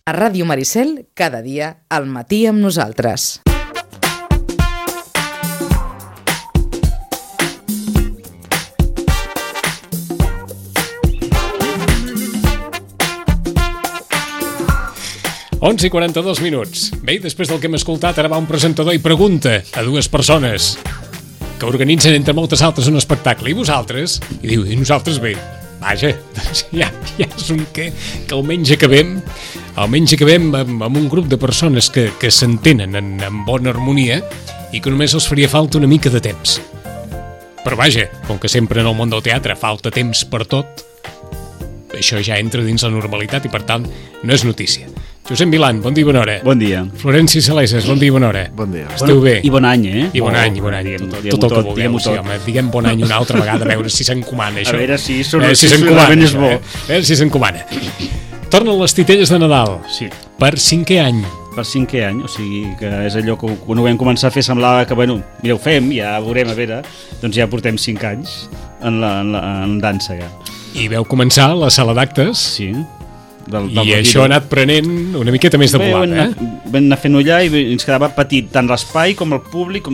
A Ràdio Maricel, cada dia, al matí amb nosaltres. Onze i 42 minuts. Bé, després del que hem escoltat, ara va un presentador i pregunta a dues persones que organitzen, entre moltes altres, un espectacle. I vosaltres? I diu, i nosaltres bé. Vaja, doncs ja és un que almenys acabem amb un grup de persones que s'entenen en bona harmonia i que només els faria falta una mica de temps. Però vaja, com que sempre en el món del teatre falta temps per tot, això ja entra dins la normalitat i per tant no és notícia. Josep Milán, bon dia i bona hora. Bon dia. Florenci Saleses, bon dia i bona hora. Bon dia. Esteu bé? I bon any, I bon any. Tot el que vulgueu. Sí, home, diguem bon any una altra vegada, a veure si s'encomana això. A veure si s'encomana. És bo. A veure si s'encomana. Tornen les titelles de Nadal. Sí. Per 5è any. Per 5è any, o sigui que és allò que quan ho vam començar a fer semblava que, bueno, mireu, fem, ja veurem, a veure, doncs ja portem 5 anys en dansa, ja. I veu començar la sala d'actes. Sí. I això ha anat prenent una miqueta més de volada, Vam anar fent allà i ens quedava petit tant l'espai com el públic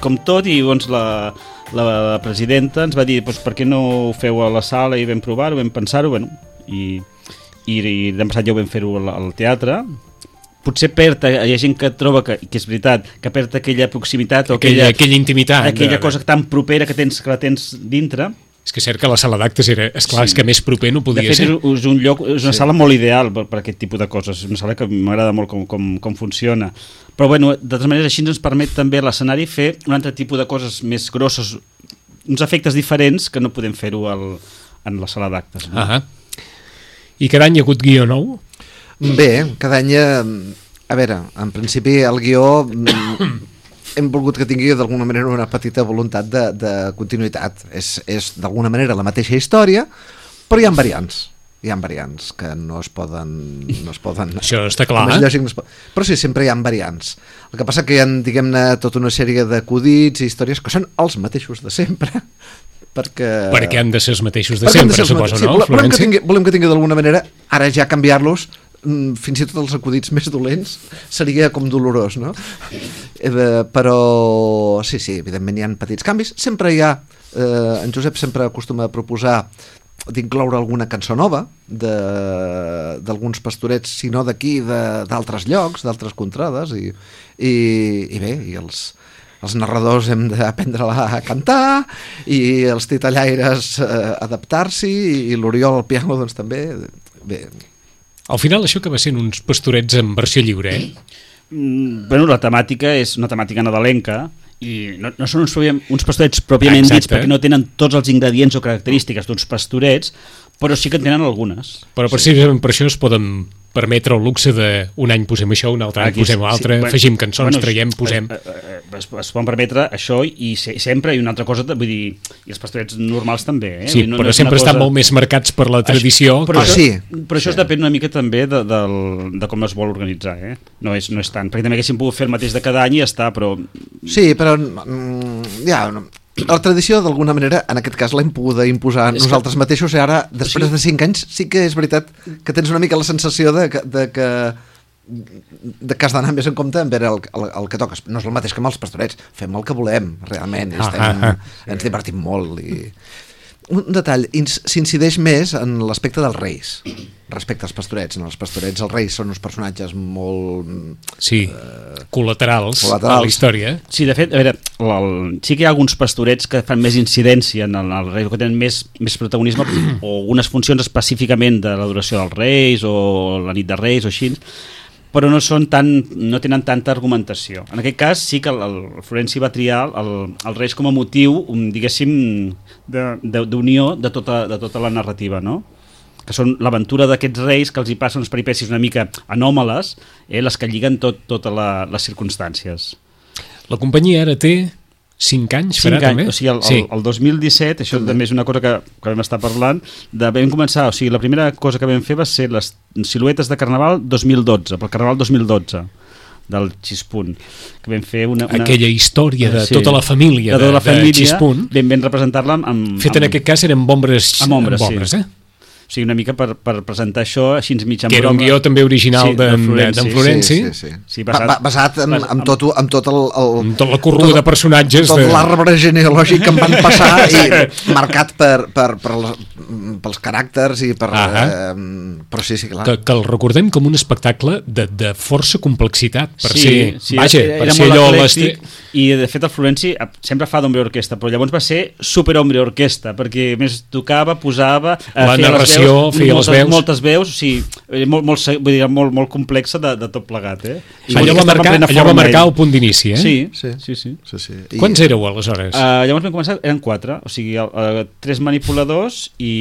com tot, i llavors la presidenta ens va dir per què no ho feu a la sala, i vam provar-ho, vam pensar-ho, bueno, i l'any passat ja ho vam fer-ho al teatre. Potser hi ha gent que troba que és veritat, que perd aquella proximitat o aquella intimitat, aquella cosa tan propera que la tens dintre. És que és cert que la sala d'actes era, esclar, és que més proper no podia ser. De fet, és una sala molt ideal per aquest tipus de coses. És una sala que m'agrada molt com funciona. Però, bueno, de totes maneres, així ens permet també l'escenari fer un altre tipus de coses més grosses, uns efectes diferents que no podem fer-ho en la sala d'actes. No? I cada any hi ha hagut guió nou? Bé, cada any... A veure, en principi el guió... hem volgut que tingui d'alguna manera una petita voluntat de continuïtat. És d'alguna manera la mateixa història, però hi ha variants que no es poden això està clar, però sí, sempre hi ha variants. El que passa que hi ha, diguem-ne, tota una sèrie d'acudits i històries que són els mateixos de sempre, perquè han de ser els mateixos de sempre, suposo, no? Volem que tingui d'alguna manera, ara ja canviar-los, fins i tot els acudits més dolents seria com dolorós, no? Però sí, evidentment hi ha petits canvis. Sempre hi ha, en Josep sempre acostuma a proposar d'incloure alguna cançó nova d'alguns pastorets, si no d'aquí, d'altres llocs, d'altres contrades, i bé, i els narradors hem d'aprendre-la a cantar, i els titellaires adaptar-s'hi, i l'Oriol al piano doncs també. Bé, al final això acaba sent uns pastorets en versió lliure, Bueno, la temàtica és una temàtica nadalenca i no són uns pastorets pròpiament dits, perquè no tenen tots els ingredients o característiques d'uns pastorets, però sí que en tenen algunes. Però precisament per això es poden permetre el luxe d'un any posem això, un altre any posem l'altre, afegim cançons, traiem, posem... Es poden permetre això i sempre, i una altra cosa, vull dir, i els pastorets normals també. Sí, però sempre estan molt més marcats per la tradició. Però això es depèn una mica també de com es vol organitzar, no és tant, perquè també haguéssim pogut fer el mateix de cada any i ja està, però... Sí, però ja... La tradició, d'alguna manera, en aquest cas l'hem pogut imposar nosaltres mateixos, i ara, després de 5 anys, sí que és veritat que tens una mica la sensació de que has d'anar més en compte en veure el que toques. No és el mateix que amb els pastorets, fem el que volem, realment, ens divertim molt. Un detall, s'incideix més en l'aspecte dels reis respecte als pastorets. En els pastorets els reis són uns personatges molt... Sí, col·laterals a la història. Sí, de fet, a veure, sí que hi ha alguns pastorets que fan més incidència en el rei, que tenen més protagonisme, o unes funcions específicament de l'adoració dels reis, o la nit de reis, o així, però no tenen tanta argumentació. En aquest cas sí que el Florenci va triar els reis com a motiu, diguéssim, d'unió de tota la narrativa, no? Que són l'aventura d'aquests reis, que els hi passen unes peripècies una mica anòmales, les que lliguen totes les circumstàncies. La companyia ara té 5 anys, farà també? O sigui, el 2017, això també és una cosa que vam estar parlant, vam començar, o sigui, la primera cosa que vam fer va ser les siluetes de Carnaval 2012, pel Carnaval 2012, del Xispunt, que vam fer aquella història de tota la família de Xispunt, ben representar-la fet en aquest cas eren amb ombres, O sigui, una mica per presentar això així mig en broma. Que era un guió també original d'en Florenci. Sí, basat en tot tot la corrua de personatges. Tot l'arbre genealògic que em van passar i marcat pels caràcters i per... però sí, clar. Que el recordem com un espectacle de força complexitat per ser... Sí, vaja, per ser allò... I de fet el Florenci sempre fa d'hombre orquestra, però llavors va ser super hombre orquestra, perquè més tocava, posava... La narració, feia les veus. Moltes veus, o sigui, molt complexa de tot plegat, Allò va marcar el punt d'inici, Sí. Quants éreu, aleshores? Llavors vam començar, eren 4, o sigui, 3 manipuladors i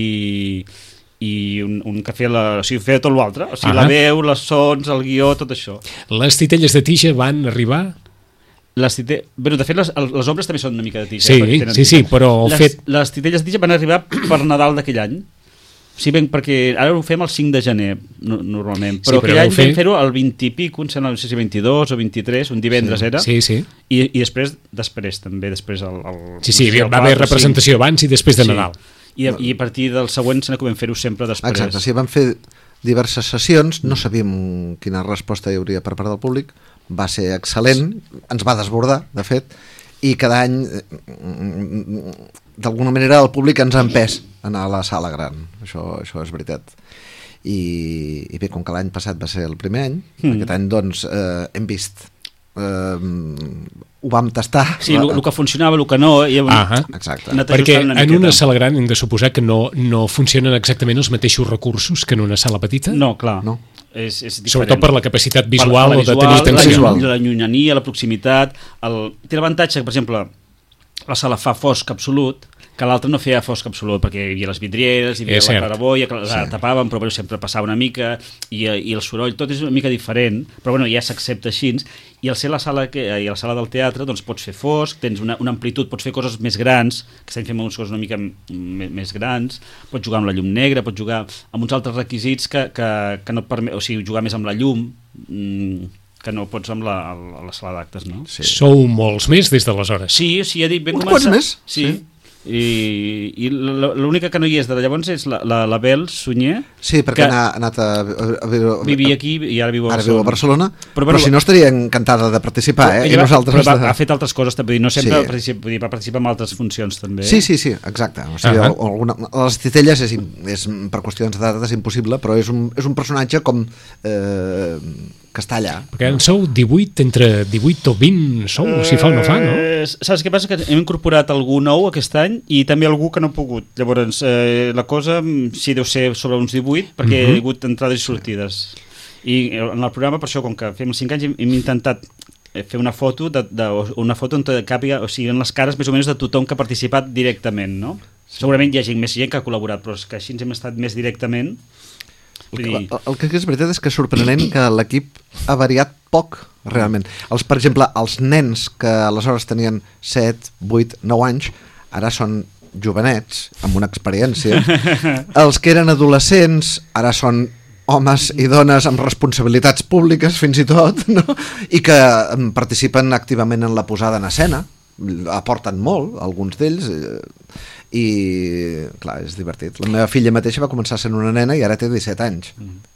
un que feia, feia tot l'altre, o sigui, la veu, les sons, el guió, tot això. Les titelles de tija van arribar... De fet, les obres també són una mica de tija. Sí, però les titelles de tija van arribar per Nadal d'aquell any. Sí, ben, perquè ara ho fem el 5 de gener, normalment. Però aquell any vam fer-ho el 20 i pico, no sé si 22 o 23, un divendres era. Sí. I després també, després el... Sí, va haver representació abans i després de Nadal. I a partir del següent se n'acabem fer-ho sempre després. Exacte, sí, vam fer diverses sessions, no sabíem quina resposta hi hauria per part del públic, va ser excel·lent, ens va desbordar, de fet, i cada any, d'alguna manera, el públic ens ha empès a anar a la sala gran, això és veritat. I bé, com que l'any passat va ser el primer any, aquest any, doncs, hem vist... ho vam tastar. Sí, el que funcionava, el que no... Exacte. Perquè en una sala gran hem de suposar que no funcionen exactament els mateixos recursos que en una sala petita? No, clar. No. És diferent. Sobretot per la capacitat visual o de tenir atenció. La llunyania, la proximitat. Té l'avantatge que, per exemple, la sala fa fosc absolut, que l'altre no feia fosc absolut, perquè hi havia les vidrieres, hi havia la claraboia, que la tapaven, però sempre passava una mica, i el soroll, tot és una mica diferent, però ja s'accepta així, i al ser la sala del teatre, doncs pots fer fosc, tens una amplitud, pots fer coses més grans, que estem fent unes coses una mica més grans, pots jugar amb la llum negra, pots jugar amb uns altres requisits que no et permet, o sigui, jugar més amb la llum, que no pots amb la sala d'actes, no? Sí. Sou molts més des d'aleshores. Sí, ja dic, ben començar. Uns quants més? Sí. I l'única que no hi és de llavors és la Bel Sunyer. Sí, perquè ha anat a vivia aquí i ara viu a Barcelona. Ara viu a Barcelona, però si no estaria encantada de participar, i nosaltres... Però ha fet altres coses també, no sempre va participar en altres funcions també. Sí, exacte. O sigui, les titelles per qüestions de data és impossible, però és un personatge com... que està allà. Perquè en sou 18, entre 18 o 20 sou, si fa o no fa, no? Saps què passa? Que hem incorporat algú nou aquest any i també algú que no ha pogut. Llavors, la cosa sí deu ser sobre uns 18, perquè hi ha hagut entrades i sortides. I en el programa, per això, com que fem els 5 anys, hem intentat fer una foto una foto on càpiga, o sigui, en les cares més o menys de tothom que ha participat directament, no? Segurament hi ha més gent que ha col·laborat, però és que així ens hem estat més directament. El que és veritat és que és sorprenent que l'equip ha variat poc, realment. Per exemple, els nens que aleshores tenien 7, 8, 9 anys, ara són jovenets, amb una experiència. Els que eren adolescents ara són homes i dones amb responsabilitats públiques, fins i tot, no? I que participen activament en la posada en escena, aporten molt, alguns d'ells, i clar, és divertit. La meva filla mateixa va començar sent una nena i ara té 17 anys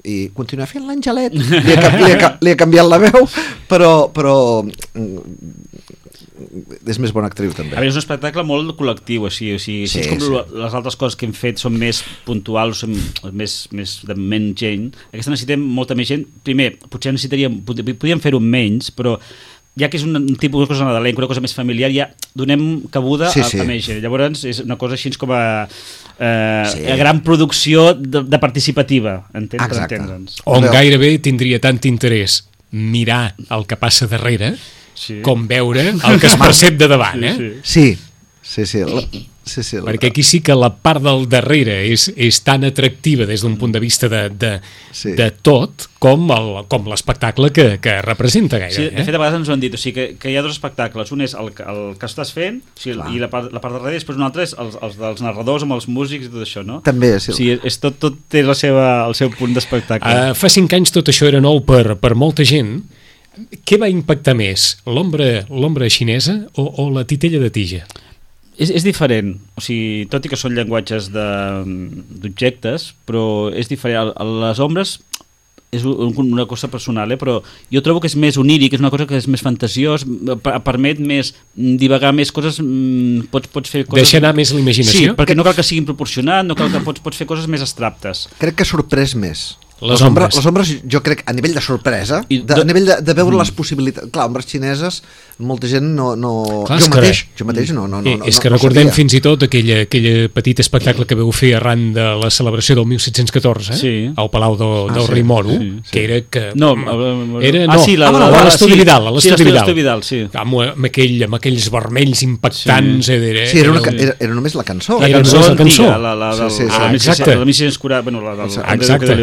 i continua fent l'Angelet, li ha canviat la veu, però és més bona actriu també. A veure, és un espectacle molt col·lectiu, o sigui les altres coses que hem fet són més puntuals, més de menys gent. Aquesta necessitem molta més gent. Primer, potser podríem fer-ho menys, però ja que és un tipus de cosa nadalenca, una cosa més familiar, ja donem cabuda a més gent. Llavors és una cosa així com a gran producció de participativa, per entendre'ns. On gairebé tindria tant interès mirar el que passa darrere com veure el que es percep de davant, Sí. Perquè aquí sí que la part del darrere és tan atractiva des d'un punt de vista de tot com l'espectacle que representa gaire. Sí, de fet a vegades ens ho han dit, o sigui que hi ha dos espectacles, un és el que estàs fent, o sigui, i la part darrere, després un altre és els dels narradors amb els músics i tot això, no? També, sí. O sigui, tot té el seu punt d'espectacle. Fa 5 anys tot això era nou per molta gent. Què va impactar més, l'ombra xinesa o la titella de tija? És diferent, o sigui, tot i que són llenguatges d'objectes, però és diferent. Les ombres és una cosa personal, però jo trobo que és més oníric, és una cosa que és més fantasiós, permet més divagar més coses, pots fer coses... Deixa anar més la imaginació? Sí, perquè no cal que siguin proporcionat, no cal que pots fer coses més abstractes. Crec que ha sorprès més. Les ombres. Les ombres, jo crec, a nivell de sorpresa, a nivell de veure les possibilitats... Clar, ombres xineses, molta gent no... Clar, jo mateix no és que recordem fins i tot aquell petit espectacle que veu fer arran de la celebració del 1714, al Palau del Rei Moro, que era que... l'Estudi Vidal. A l'Estudi Vidal, sí. Amb aquells vermells impactants. Sí, era només la cançó. La cançó antiga, exacte. La Missió Escurada, exacte.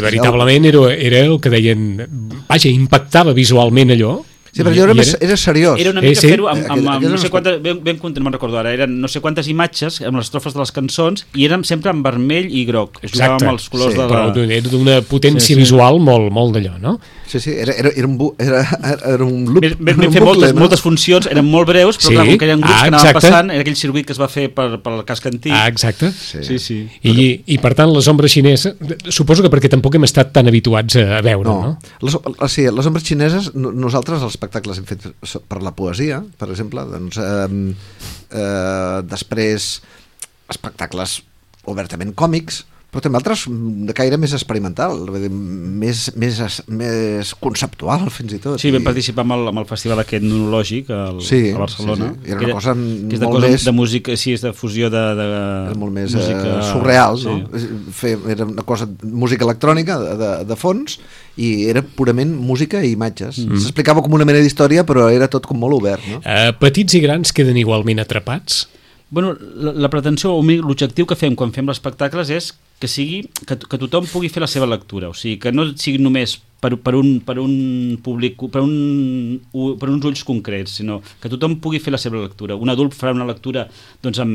I veritablement era el que deien... Vaja, impactava visualment allò. Sí, però era seriós. Era una mica fer-ho amb no sé quantes... no me'n recordo ara, eren no sé quantes imatges amb les estrofes de les cançons i eren sempre en vermell i groc. Jugava amb els colors de la... Però era d'una potència visual molt d'allò, no? Sí, era un loop. Vam fer moltes funcions, eren molt breus, però clar, com que eren grups que anaven passant, era aquell circuit que es va fer pel casc antic. Exacte. Sí. I per tant, les ombres xineses, suposo que perquè tampoc hem estat tan habituats a veure, no? Sí, les ombres xineses, nosaltres els espectacles hem fet per la poesia, per exemple, doncs, després espectacles obertament còmics, però també altres de caire més experimental, més conceptual, fins i tot. Sí, vam participar amb el festival aquest etnològic a Barcelona. Sí. Era una cosa que és molt més... de música, sí, és de fusió de era molt més música... surreal, no? Era una cosa, música electrònica de fons, i era purament música i imatges. S'explicava com una mena d'història, però era tot com molt obert, no? Petits i grans queden igualment atrapats? Bueno, la pretensió o l'objectiu que fem quan fem els espectacles és que tothom pugui fer la seva lectura, o sigui, que no sigui només per un públic, per uns ulls concrets, sinó que tothom pugui fer la seva lectura. Un adult farà una lectura doncs, amb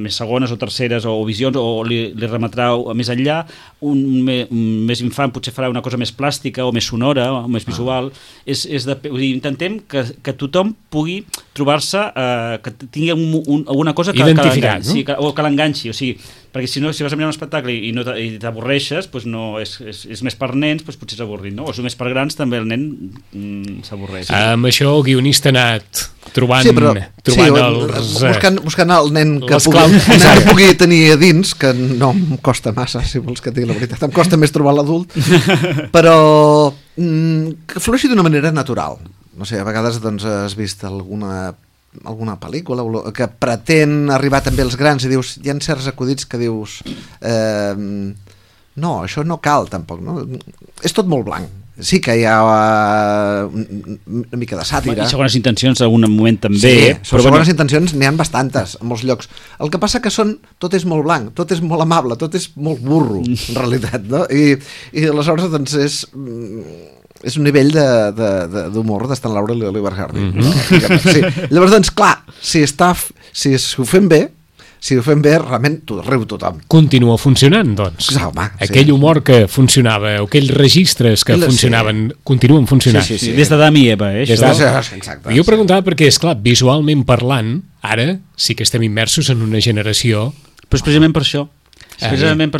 més segones o terceres o visions, o li remetrà més enllà. Un més infant potser farà una cosa més plàstica o més sonora o més visual. Intentem que tothom pugui trobar-se, que tingui alguna cosa que l'enganxi, o sigui, perquè si no, si vas a mirar un espectacle i t'avorreixes, doncs no, és més per nens, doncs potser és avorrit, no? O si més per grans, també el nen s'avorreix. Amb això el guionista ha anat trobant buscant el nen que pugui tenir a dins, que no em costa massa, si vols que et digui la veritat, em costa més trobar l'adult, però que flueixi d'una manera natural. No sé, a vegades doncs, has vist alguna pel·lícula que pretén arribar també als grans i dius, hi ha certs acudits que dius no, això no cal tampoc, no? És tot molt blanc. Sí que hi ha una mica de sàtira. I segones intencions en algun moment també. Sí, però segones intencions n'hi ha bastantes en molts llocs. El que passa que tot és molt blanc, tot és molt amable, tot és molt burro, en realitat, no? I aleshores doncs és un nivell d'humor d'Stan Laurel i Oliver Hardy. Sí. Llavors, doncs, clar, si ho fem bé, realment riu tothom. Continua funcionant, doncs. Home, aquell humor que funcionava, aquells registres que funcionaven, continuen funcionant. Sí. Des d'Adam i Eva, Exacte. Jo preguntava perquè, esclar, visualment parlant, ara sí que estem immersos en una generació... Però és precisament per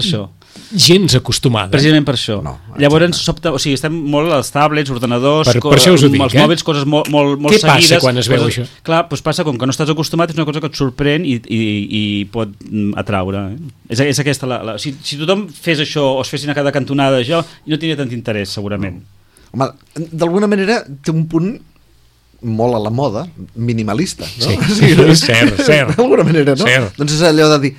això. Gens acostumada. Precisament per això. Llavors, estem molt als tablets, ordenadors, per això us ho dic, els mòbils, coses molt seguides. Què passa quan es veu això? Clar, doncs passa com que no estàs acostumat, és una cosa que et sorprèn i pot atraure. És aquesta si tothom fes això o es fessin a cada cantonada això, no tindria tant interès, segurament. Home, d'alguna manera té un punt molt a la moda, minimalista, no? Sí, cert. D'alguna manera, no? Cert. Doncs és allò de dir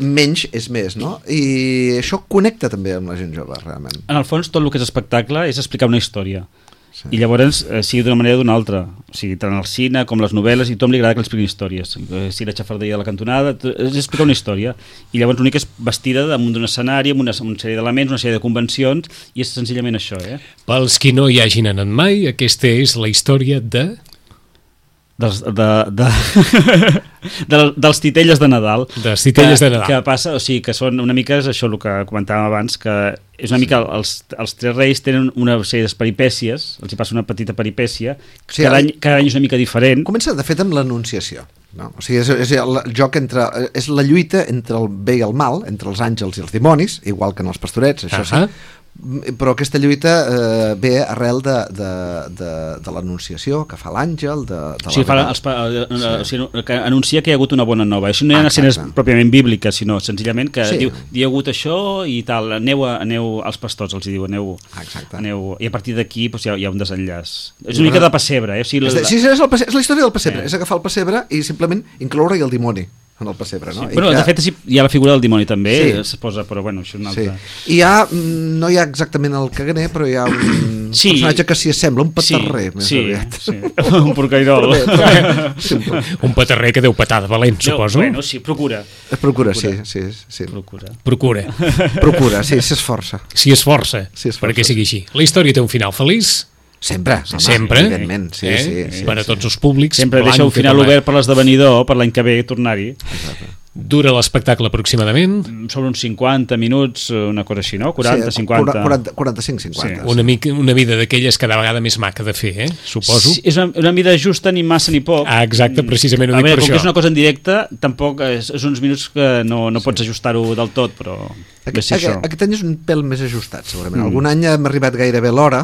menys és més, no? I això connecta també amb la gent jove, realment. En el fons, tot el que és espectacle és explicar una història. Sí. I llavors, sigui d'una manera o d'una altra. O sigui, tant el cine com les novel·les, i a tothom li agrada que expliquin històries. Si la xafarderia de la cantonada, és explicar una història. I llavors l'únic és vestida damunt d'un escenari, amb una sèrie d'elements, una sèrie de convencions, i és senzillament això, Pels qui no hi hagin anat mai, aquesta és la història dels titelles de Nadal. Dels titelles de Nadal. Que passa, o sigui, que són una mica, és això el que comentàvem abans, que és una mica, els tres reis tenen una sèrie de peripècies, els hi passa una petita peripècia, cada any és una mica diferent. Comença, de fet, amb l'Anunciació. no? O sigui, és el joc entre... És la lluita entre el bé i el mal, entre els àngels i els dimonis, igual que en els pastorets, això sí, però aquesta lluita ve arrel de l'anunciació que fa l'àngel, o sigui, que anuncia que hi ha hagut una bona nova. Això no hi ha escenes pròpiament bíbliques, sinó senzillament que diu, hi ha hagut això i tal, aneu als pastors, els diu, aneu, i a partir d'aquí doncs, hi ha un desenllaç. És una mica de pessebre, O sigui, sí, és la història del pessebre, és agafar el pessebre i simplement incloure-hi el dimoni en el pessebre, no? Sí, de fet hi ha la figura del dimoni també, es posa, però bueno, això és una altra... I no hi ha exactament el caganer, però hi ha un personatge que s'hi assembla, un petarrer més aviat. Un porcairol. Un petarrer que deu petar de valent, suposo. Bueno, sí, procura, sí. Procura, sí, s'esforça. Si esforça, perquè sigui així. La història té un final feliç? Sempre, evidentment, sí. Per a tots els públics. Sempre deixa un final obert per l'esdevenidor, per l'any que ve tornar-hi. Dura l'espectacle aproximadament? Sobre uns 50 minuts, una cosa així, no? 40, 50... 45-50. Una mida d'aquelles cada vegada més maca de fer, suposo. Sí, és una mida justa, ni massa ni poc. Exacte, precisament ho dic per això. Com que és una cosa en directe, tampoc és uns minuts que no pots ajustar-ho del tot, però... Aquest any és un pèl més ajustat, segurament. Algun any hem arribat gairebé a l'hora,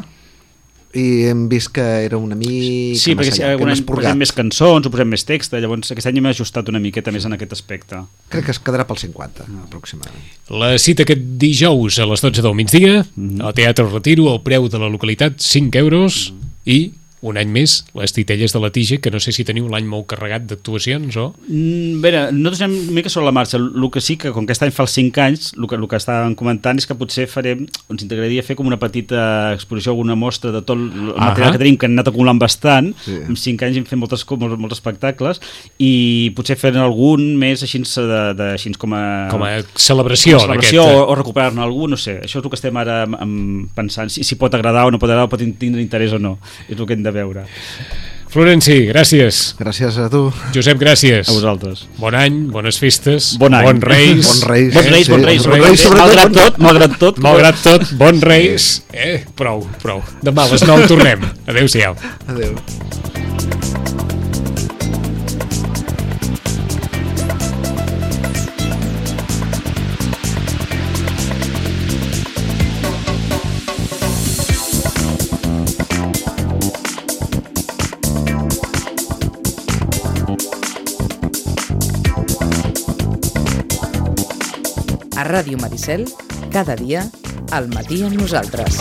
i hem vist que era una mica sí, perquè si algun any posem més cançons o posem més text, llavors aquest any hem ajustat una miqueta més en aquest aspecte. Crec que es quedarà pel 50 aproximadament. La cita aquest dijous a les 12 del migdia al Teatre Retiro, el preu de la localitat 5 euros i un any més, les Titelles de la Tija, que no sé si teniu l'any molt carregat d'actuacions o... Bé, nosaltres anem una mica sobre la marxa. El que sí que, com que aquest any fa els 5 anys, el que estàvem comentant és que potser ens integraria fer com una petita exposició, alguna mostra de tot el material que tenim, que hem anat acumulant bastant. En 5 anys hem fet molts espectacles i potser fer algun més així com a celebració o recuperar-ne algú, no sé. Això és el que estem ara pensant, si pot agradar o no pot agradar, o pot tindre interès o no. És el que hem de veure. Florenci, gràcies. Gràcies a tu. Josep, gràcies. A vosaltres. Bon any, bones festes, bon Reis. Malgrat tot, bon Reis. Prou. Demà a les 9 tornem. Adéu-siau. Adéu. A Ràdio Maricel, cada dia, al matí amb nosaltres.